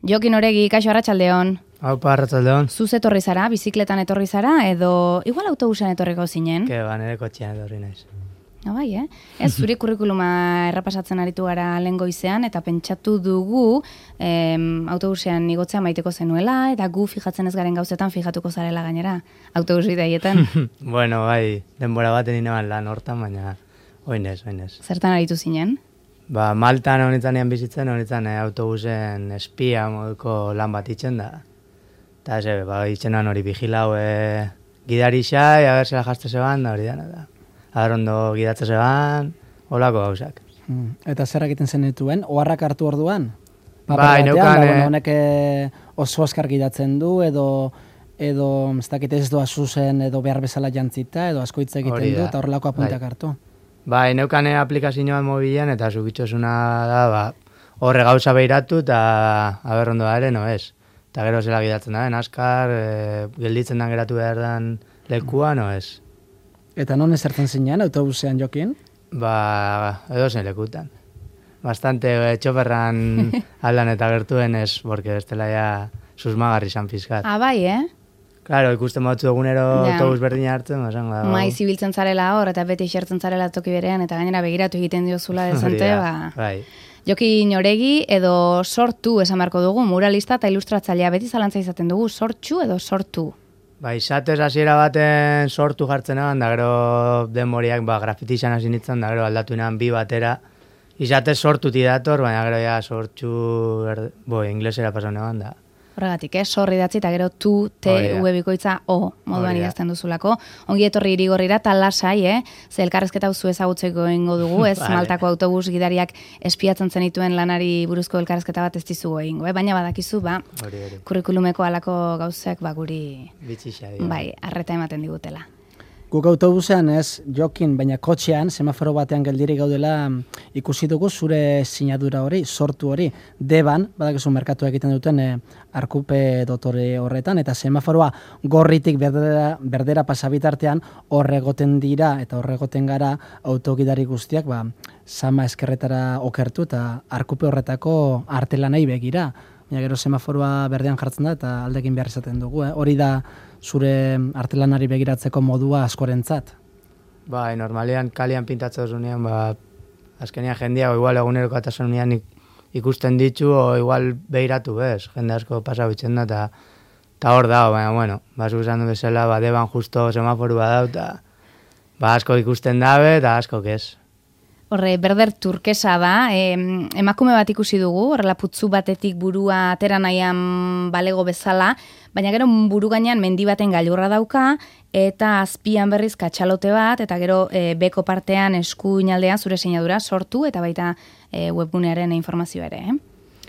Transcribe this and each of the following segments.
Jokin Oregi, kaixo arratsaldeon. Aupa, arratsaldeon. Zuz etorri zara, bizikletan etorri zara, edo igual autobusean etorriko zinen? Nire kotxean etorri naiz. Bai, Ez, zure kurrikuluma errapasatzen aritu gara lehen goizean, eta pentsatu dugu autobusean igotzea maiteko zenuela, eta gu fijatzen ez garen gauzetan fijatuko zarela gainera, autobus bidaietan. Bueno, bai, denbora baten ineban lan hortan, baina oinez. Zertan aritu zinen? Maltan honitzanean bizitzen, autobusen espia moduko lan bat itxen da. Eta itxenan hori vigilau gidarisa, a ber zela jazte zeban, da hori dana da. Ondo gidatze zeban, holako gauzak. Eta zer egiten zenituen? Oharrak hartu orduan? Bai, neukan... Honek oso askar gidatzen du, edo ez dakit ez doa zuzen, edo behar bezala jantzita, edo asko hitz egiten du, eta horrelako apunteak hartu. Bai, neukan aplikazioan mobilean, eta zubitxosuna da, horre gauza behiratu, eta aber ondo da ere, no ez. Eta gero zela gidatzen da, askar, gelditzen dan geratu behar dan lekua, no ez. Eta non ezertzen zinean, autobusean Jokin? Edo zen lekutan. Bastante txoferran aldan eta gertuen ez, porque bestela ja susmagarri izan pizkat. Bai, Claro, ikusten batzu egunero autobus berdina hartzen, esango da. Maiz ibiltzen zarela hor, eta beti xertzen zarela toki berean, eta gainera begiratu egiten diozula dezente, Bai. Jokin Oregi edo sortu esan beharko dugu, muralista eta ilustratzailea beti zalantza izaten dugu, sortxu edo sortu? Izatez hasiera baten sortu jartzen egan, da gero denboriak grafiti izan hasi nintzen, da gero aldatu inan bi batera. Izatez sortuti dator, baina gero ja sortxu, inglesera pasan egan da. Horregatik, sorri datzi eta gero tu, te, bikoitza, o, moduan idazten duzulako. Ongi etorri Irigorrira, eta lasai, ze elkarrezketa hauzu ezagutzeko egingo dugu, ez? Vale. Maltako autobus gidariak espiatzen zenituen lanari buruzko elkarrezketa bat ez dizugu egingo, baina badakizu, kurrikulumeko alako gauzak guri arreta ematen digutela. Guk autobusean ez, Jokin, baina kotxean, semaforo batean geldirik gaudela ikusi dugu zure sinadura hori, sortu hori, deban, badakizu merkatu egiten duten arkupe dotore horretan, eta semaforoa gorritik berdera pasabitartean horregoten dira eta horregoten gara autogidari guztiak, sama eskerretara okertu eta arkupe horretako artelanei begira. Baina gero semaforoa berdean jartzen da eta aldekin behar izaten dugu. Hori da zure artelanari begiratzeko modua askorentzat. Normalian kalian pintatzen duzunean, azkenian jendia, igual eguneroko atasunean ikusten ditu, o igual behiratu bez, jende asko pasabitzen da, eta hor da, baina, basu esan du bezala, deban justo semaforua da, eta asko ikusten dabe, eta asko ez. Horre, berder turkesa da, emakume bat ikusi dugu, horrela putzu batetik burua atera nahian balego bezala, baina gero buru gainean mendi baten gailurra dauka, eta azpian berriz katxalote bat, eta gero beko partean eskuinaldean zure sinadura sortu, eta baita webgunearen informazioa ere.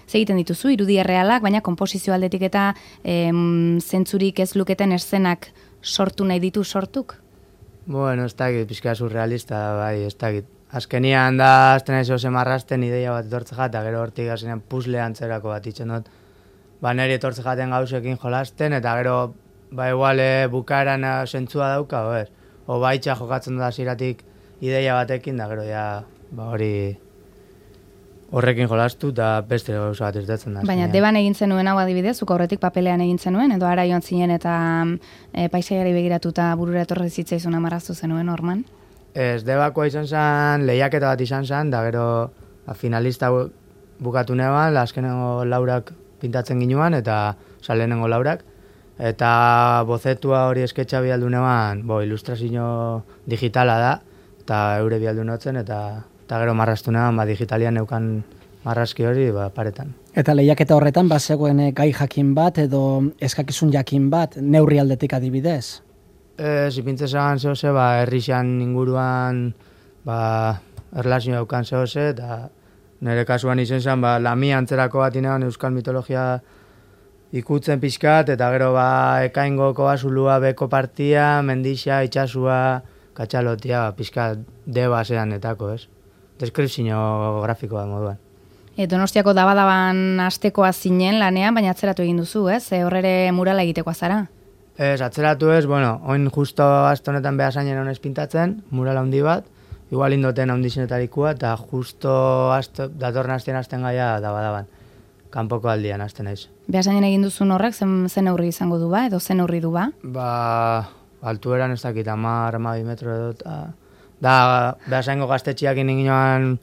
Zegiten dituzu, irudi errealak, baina konposizio aldetik eta zentzurik ez luketen eszenak sortu nahi ditu sortuk? Ez dakit, pixka surrealista, ez dakit. Azkenian da, azten ez marrasten ideia bat etortze eta gero hortik azkenean puzle antzerako bat itxen dut. Neri etortze jaten gauzekin jolasten, eta gero, igual bukaeran zentzua dauka, ez? O baitxa jokatzen da ziratik ideia batekin, da gero hori horrekin jolastu, eta beste gauza bat irtetzen da. Baina deban egin zenuen hau adibidez, zuk aurretik papelean egin zenuen, edo ara joan zinen eta paisaiari begiratuta burura etorri zitzaizuna marraztu zenuen, Orman? Ez, debakoa izan zen, lehiaketa bat izan zen, da gero finalista bukatu neban, azkenengo laurak pintatzen ginuan, eta lehenengo laurak, eta bozetua hori esketxa bialdu neban, ilustrazio digitala da, eta eure bialdu notzen, eta gero marraztu neban, digitalian neukan marrazki hori paretan. Eta lehiaketa horretan, zegoen gai jakin bat, edo eskakizun jakin bat, neurri aldetik adibidez? Zipintze zegoen zehose, herrixan inguruan erlazio daukan zehose, eta nire kasuan izen zen, lamia antzerako bat inean euskal mitologia ikutzen pixkat, eta gero ekaingoko azulua beko partia, mendixa, itxasua, katxalotia, pixkat deba zean etako, ez? Deskripzio grafikoa moduan. Donostiako dabadaban astekoa zinen lanean, baina atzeratu egin duzu, ez? Horrere murala egitekoa zara? Ez, atzeratu ez, oin justo aste honetan behasainen honez pintatzen, mural handi bat, igual indoten handizenetarikua, eta justo datorren hasten gaia dabadaban. kanpoko aldian hasten naiz. Behasainen egin duzun horrek, zen neurri izango du ba, edo zen neurri du ba? Altueran ez dakit, 10-12 metro edo, da, behasaingo gaztetxiak inginoan,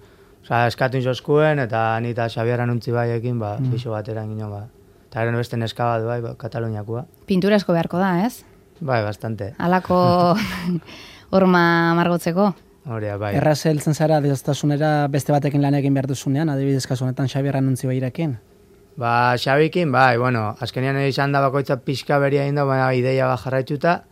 eskatu inzoskuen, eta nita Xabieran untzi baiekin, pixo batera inginoan, Eta gero beste neska bat bai, Kataluniakoa. Pintura asko beharko da, ez? Bai, bastante. Halako horma margotzeko. Horia, bai. Erraz heltzen zara adiostasunera beste batekin lan egin behar duzunean, adibidez kasu honetan Xabieran untzi bairekin? Xabikin, bai, azkenean izan da bakoitza pixka beria egin da, baina ideia bat jarraituta,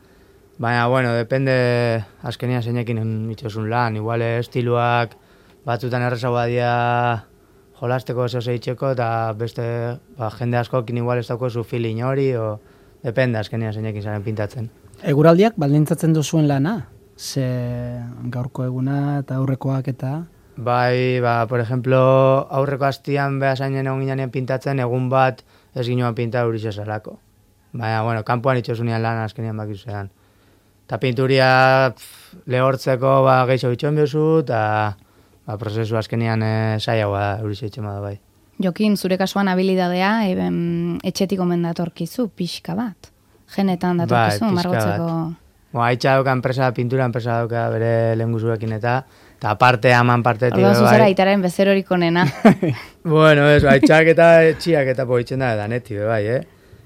baina, depende azkenean zeinekin itxosun lan, igual estiluak batzutan errezagoa dira jolasteko oso zeitzeko, eta beste jende askokin igual ez dauko zu feeling hori, depende azkenean zeinekin zaren pintatzen. Eguraldiak baldintzatzen duzuen lana? Ze gaurko eguna eta aurrekoak eta... Bai, por ejemplo, aurreko hastian behasainen egon ginean pintatzen, egun bat ez ginoan pinta uriz ezalako. Baina, kanpoan itxosunean lan azkenean bakizuean. Eta pinturia lehortzeko gehiago itxoen biozu, eta prozesu azkenean zaiagoa da uriz itxema da bai. Jokin, zure kasuan habilidadea etxetik omen datorkizu, pixka bat. Genetan datorkizu, margotzeko... Haitxa dauka pintura enpresa dauka bere lehen guzuekin eta aparte haman partetik... Orduan zuzera aitaren bezerorik onena. Haitxak eta etxiak eta poitzen da, daneti, bai,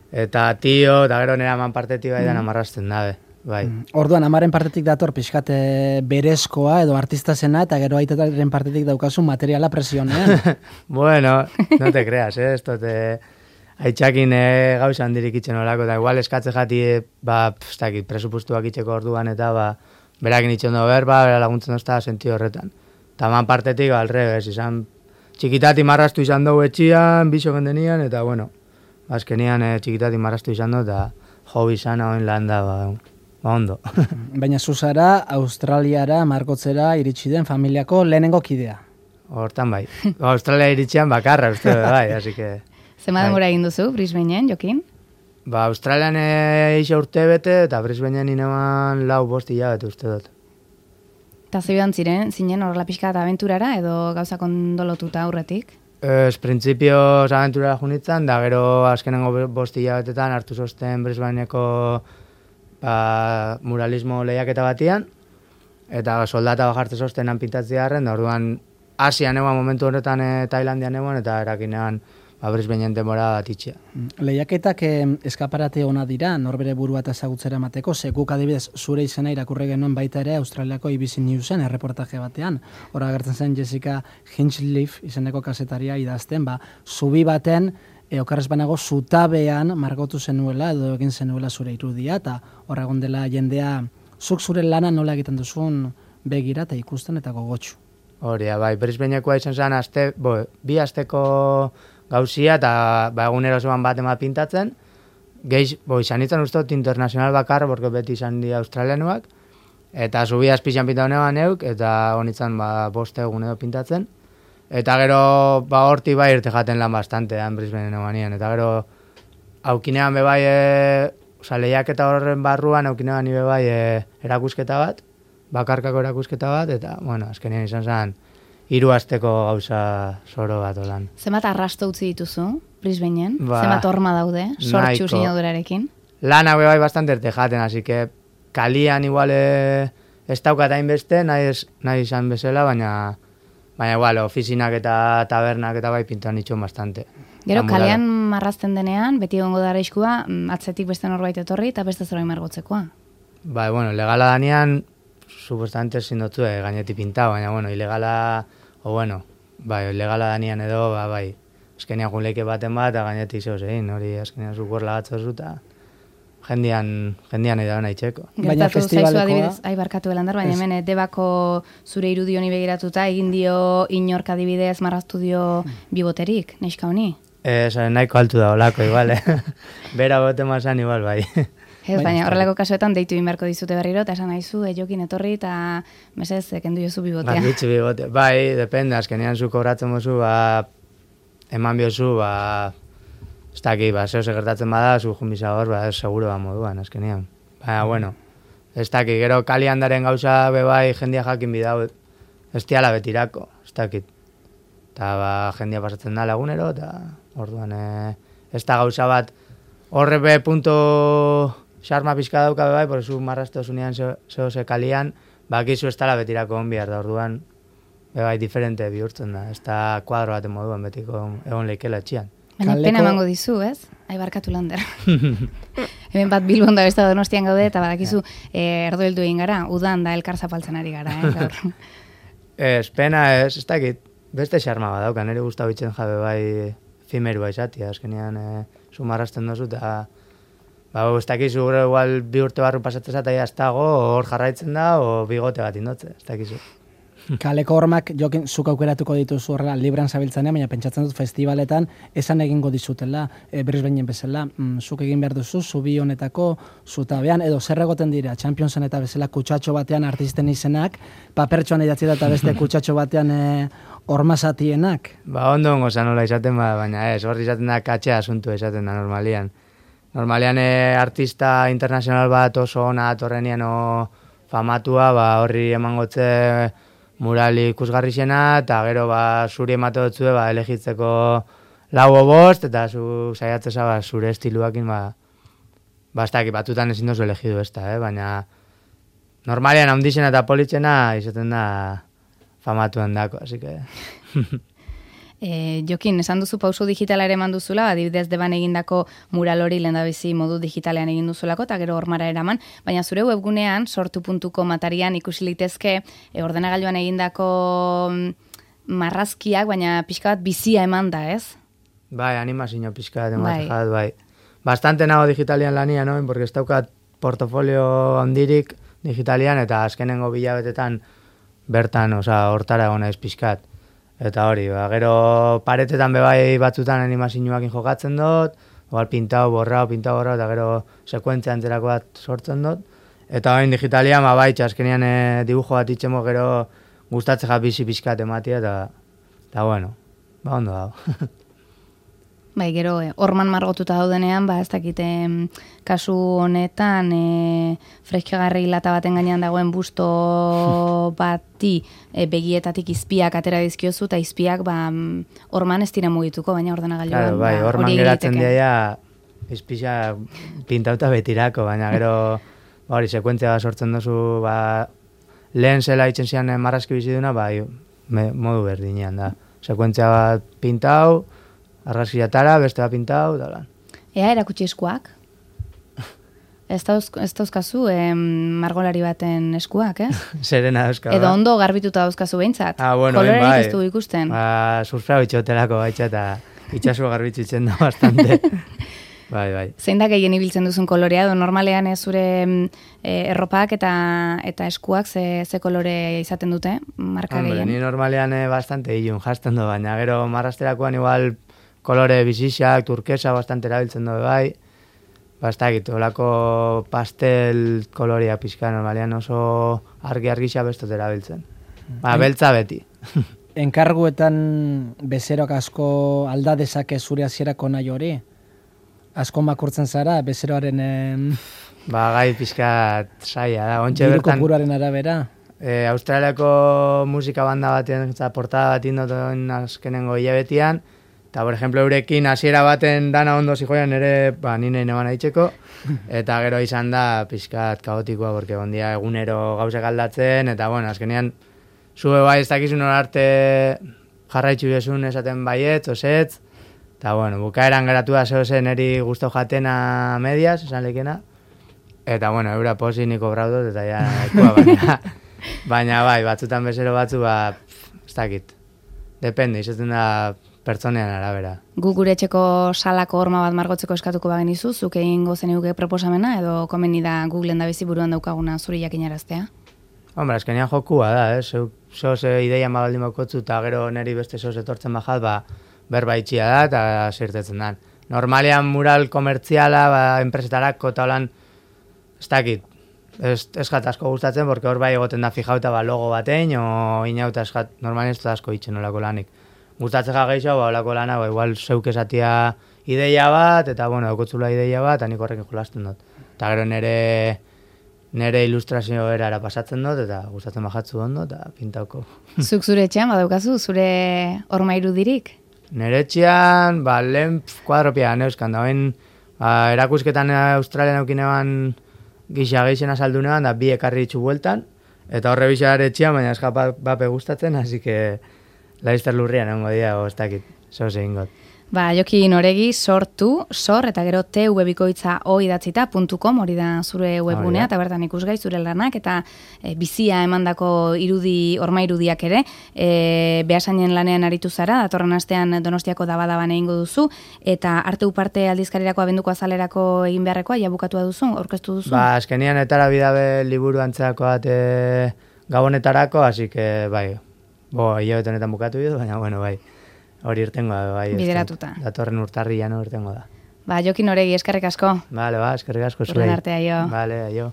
Eta tio, eta gero nera haman partetik bai dan amarrasten dabe, bai. Orduan, amaren partetik dator pixkate berezkoa edo artista zena, eta gero aitaren partetik daukazu materiala presionean. No te creas, ez tote... Haitxakin gauza handirik itxen olako, eta igual eskatze jati, presupustuak itxeko orduan, eta berakin itxen do bera laguntzen dozta sentio horretan. Eta man partetik, alrebes, izan txikitati marrastu izan dugu etxian, biso gendenian, eta azkenian txikitati marrastu izan dugu, eta hobi izan hauen lan da, ondo. Baina zuzara, Australiara, margotzera, iritsi den familiako lehenengo kidea. Hortan bai. Australia iritxian bakarra, uste, bai, así que... Zema denbora egin duzu, Brisbaneen, Jokin? Australian eixa urte bete, eta Brisbaneen ineman 4-5 hilabete uste dut. Eta zebidan zinen horrela pixka eta aventurara, edo gauza kondolotuta aurretik? Printzipio aventurara junitzen, da gero azkenengo 5 hilabetetan hartu zosten Brisbaneko muralismo lehiaketa batian, eta soldata bajartze zostenan pintatzi garren, da orduan Asian eguan momentu horretan Tailandian eguan, eta erakinean Brisbaneen denbora bat itxea. Lehiaketak eskaparate ona dira, norbere burua eta ezagutzera emateko, ze guk adibidez zure izena irakurri genuen baita ere Australiako ABC Newsen erreportaje batean. Hora agertzen zen Jessica Hinchcliffe izeneko kasetaria idazten, zubi baten, okarrez banago, zutabean margotu zenuela edo egin zenuela zure irudia, eta hor egon dela jendea zuk zure lana nola egiten duzun begira eta ikusten eta gogotxu. Horia, bai, Brisbanekoa izan zen, bi asteko gauzia eta egunero zoan bat ema pintatzen. Izan nintzen ustot internazional bakar, borko beti izan di australianuak. Eta zubi azpixan pinta honean neuk, eta honitzen 5 egun edo pintatzen. Eta gero horti bai irte jaten lan bastante, Brisbaneen eguanien. Eta gero aukinean bebai, lehiak eta horren barruan aukinean bebai erakusketa bat, bakarkako erakusketa bat, eta, azkenean izan zen, 3 asteko gauza zoro bat olan. Zemat arrasto utzi dituzu, Brisbaneen? Zemat horma daude, sortxu sinadurarekin? Lan hau bai bastante erte jaten, así que kalian igual ez daukat hainbeste, nahi izan bezala, baina igual, ofizinak eta tabernak eta bai pintuan itxon bastante. Gero, kalean marrazten denean, beti egongo da araiskua, atzetik beste norbait etorri eta beste zerbait margotzekoa. Bai, legala danean, supuestamente zindotzu gainetik pinta, baina, ilegala, ilegala danean edo, bai, azkenean junleike baten bat, eta gainetik zehoz egin, hori azkenean zukorla batzozu, eta jendian edo nahi txeko. Gertatu zaizu adibidez, barkatu belandar, baina hemen Debako zure irudi honi begiratuta, egin dio inork adibidez marraztu dio biboterik, neska honi? Nahiko altu da olako, igual, Bera bote mazan, igual, bai. Ez, baina horrelako kasuetan deitu inberko dizute berriro, eta esan nahizu, Jokin etorri, eta mesez, kendu jozu bibotea. Bitxu bibotea. Bai, depende, azkenean zu kobratzen mozu, eman biozu, ez daki, zeo segertatzen bada, zu junbiza hor, seguro moduan, azkenean. Baina, ez daki, gero kali handaren gauza bebai jendia jakin bidau, ez tiala betirako, ez dakit. eta ba, jendia pasatzen da lagunero, eta orduan ez da gauza bat, horre be punto xarma pizka dauka bai, por zu marraste osunean zehose kalian, bakizu ez dala betirako onbiar da, orduan, bai, diferente bihurtzen da, ez da kuadro baten moduan betiko egon leikela etxian. Baina pena emango dizu, ez? Barkatu Lander. Hemen bat Bilbon da besta Donostian gaude, eta badakizu erdo heldu egin gara, udan da elkar zapaltzen ari gara, gaur. Ez, pena ez dakit, beste xarma badauka, nire guztau itzen jabe bai fimerua izatia, azkenean sumarrasten dozu, eta ez dakizu gure igual 2 urte barru pasatzen zata ez dago, hor jarraitzen da, o bigote bat indotze, ez dakizu. Kaleko hormak, Jokin, zuk aukeratuko dituzu horrela libran zabiltzanean, baina pentsatzen dut festivaletan esan egingo dizutela, berriz behinen bezala, zuk egin behar duzu, zubi honetako, zutabean, edo zer egoten dira, Championsen eta bezala kutsatxo batean artisten izenak, papertxoan idatzi da eta beste kutsatxo batean hormazatienak. Ba, ondo ongo zanola izaten baina ez, hor izaten da katxea asuntu izaten da normalian. Normalian artista internazional bat oso ona atorrenian famatua, ba, horri emangotze murali ikusgarri xena, eta gero ba, zuri emate dutzue ba, elegitzeko 4 o 5, eta zu saiatzeza ba, zure estiluakin ez dakit, batutan ezin dozu elegidu ez da, baina normalian handixena eta politxena izaten da famatuan dako, así que... Jokin, esan duzu pauso digitala ere eman duzula, adibidez deban egindako mural hori lehendabizi modu digitalean egin duzulako, eta gero hormara eraman, baina zure webgunean, sortu.com atarian ikusi litezke ordenagailuan egindako marrazkiak, baina pixka bat bizia eman da, ez? Bai, animazio pixka bat ematen jat, bai. Bastante nago digitalian lania, no? Porque ez daukat portofolio handirik digitalian, eta azkenengo bilabetetan bertan, hortara egon naiz pixkat. Eta hori, gero paretetan bebai batzutan animazioakin jokatzen dut, igual pintau, borrau, eta gero sekuentzia antzerako bat sortzen dut. Eta hain digitalian, bai, azkenean dibujo bat itxemo gero gustatzea bizi pixkat ematia, eta bueno, ondo dago. Bai, gero, horman margotuta daudenean, ez dakite kasu honetan freskagarri lata baten gainean dagoen busto bati begietatik izpiak atera dizkiozu, eta izpiak horman ez dira mugituko, baina ordenagailuan claro, bai, horman geratzen dira izpisa pintauta betirako, baina gero hori sekuentzia sortzen duzu lehen zela itzen zian marrazki biziduna, modu berdinean da. Sekuentzia bat pintau, argazkiatara, beste bat pintau, da lan. Ea, erakutsi eskuak? Ez dauzkazu margolari baten eskuak, ez? Zerena dauzka. Edo ondo garbituta dauzkazu behintzat. Bueno, kolorerik ez du ikusten. Surfea bitxotelako baitxa eta itxasua garbitzitzen da bastante. Bai. Zein da gehien ibiltzen duzun kolorea, edo normalean zure erropak eta eskuak ze kolore izaten dute, marka gehien? Ni normalean bastante ilun jazten du, baina gero marrasterakoan igual kolore bizixak, turkesa bastante erabiltzen du bai. Ez dakit, olako pastel kolorea pixka, normalean oso argi-argixa bestot erabiltzen. Beltza beti. Enkarguetan bezeroak asko alda dezake zure hasierako nahi hori? Asko makurtzen zara, bezeroaren... gai pixka saia da. Diru kopuruaren arabera? Australiako musika banda batean, portada bat indoten azkenengo hilabetian, eta, por ejemplo, eurekin hasiera baten dana ondo zijoian ere, nire neban aitzeko, eta gero izan da pixkat kaotikoa, porque ondia egunero gauzek aldatzen, eta, bueno, azkenean, zube bai ez dakizun arte jarraitzu bezun esaten baiet, osetz, eta, bueno, bukaeran geratu da zehozen eri guztau jatena medias, esan lekena, eta, bueno, eura posi niko braudot, eta ja, ekua, baina bai, batzutan bezero batzu, ez dakit, depende, izaten da pertsonean arabera. Gu gure etxeko salako horma bat margotzeko eskatuko bagenizu, zuk egingo zeniguke proposamena, edo komeni da Googleen da bizi buruan daukaguna zuri jakinaraztea? Hombre, azkenean jokua da, zoze ideia baldin bakotzu, eta gero neri beste zoze etortzen bajat, berba itxia da, eta zirtetzen da. Normalean mural komertziala, enpresetarako, eta holan, ez dakit, ez jat asko gustatzen, porque hor bai egoten da fijauta logo batein, o inauta ez jat, normalean ez da asko itxen olako lanik. Gustatzen geixo, olako lana, igual zeuk esatia ideia bat, eta, bueno, daukotzula ideia bat, eta nik horrekin jolasten dut. Eta gero nire nere ilustrazio erara pasatzen dut, eta gustatzen bajatzu ondo, eta pintauko. Zuk zure etxean badaukazu, zure horma irudirik? Nere etxean, lehen kuadropia neuzkan, da erakusketan Australian aukinean gixena saldunean, da bi ekarri ditzu bueltan, eta horre bizar etxean, baina eskapa bape gustatzen, hasi que laizter lurrian egongo dira, ez dakit, zoz egin got. Jokin Oregi, sortu, eta gero tvbikoitza.o idatzita.com, hori da zure webgunea, eta bertan ikusgai zure lanak, eta bizia emandako horma irudiak ere, Beasainen lanean aritu zara, datorren astean Donostiako dabadaban egingo duzu, eta arte uparte aldizkarirako abenduko azalerako egin beharrekoa, ja bukatua duzu, aurkeztu duzu? Azkenian etara bidabe liburu antzeako bat gabonetarako, hasi que, hilabete honetan bukatu dut, baina, bai. Hori irtengo da, bai. Bideratuta. Datorren urtarrian irtengo da. Jokin Oregi, eskerrik asko. Eskerrik asko. Urren arte, aio. Aio.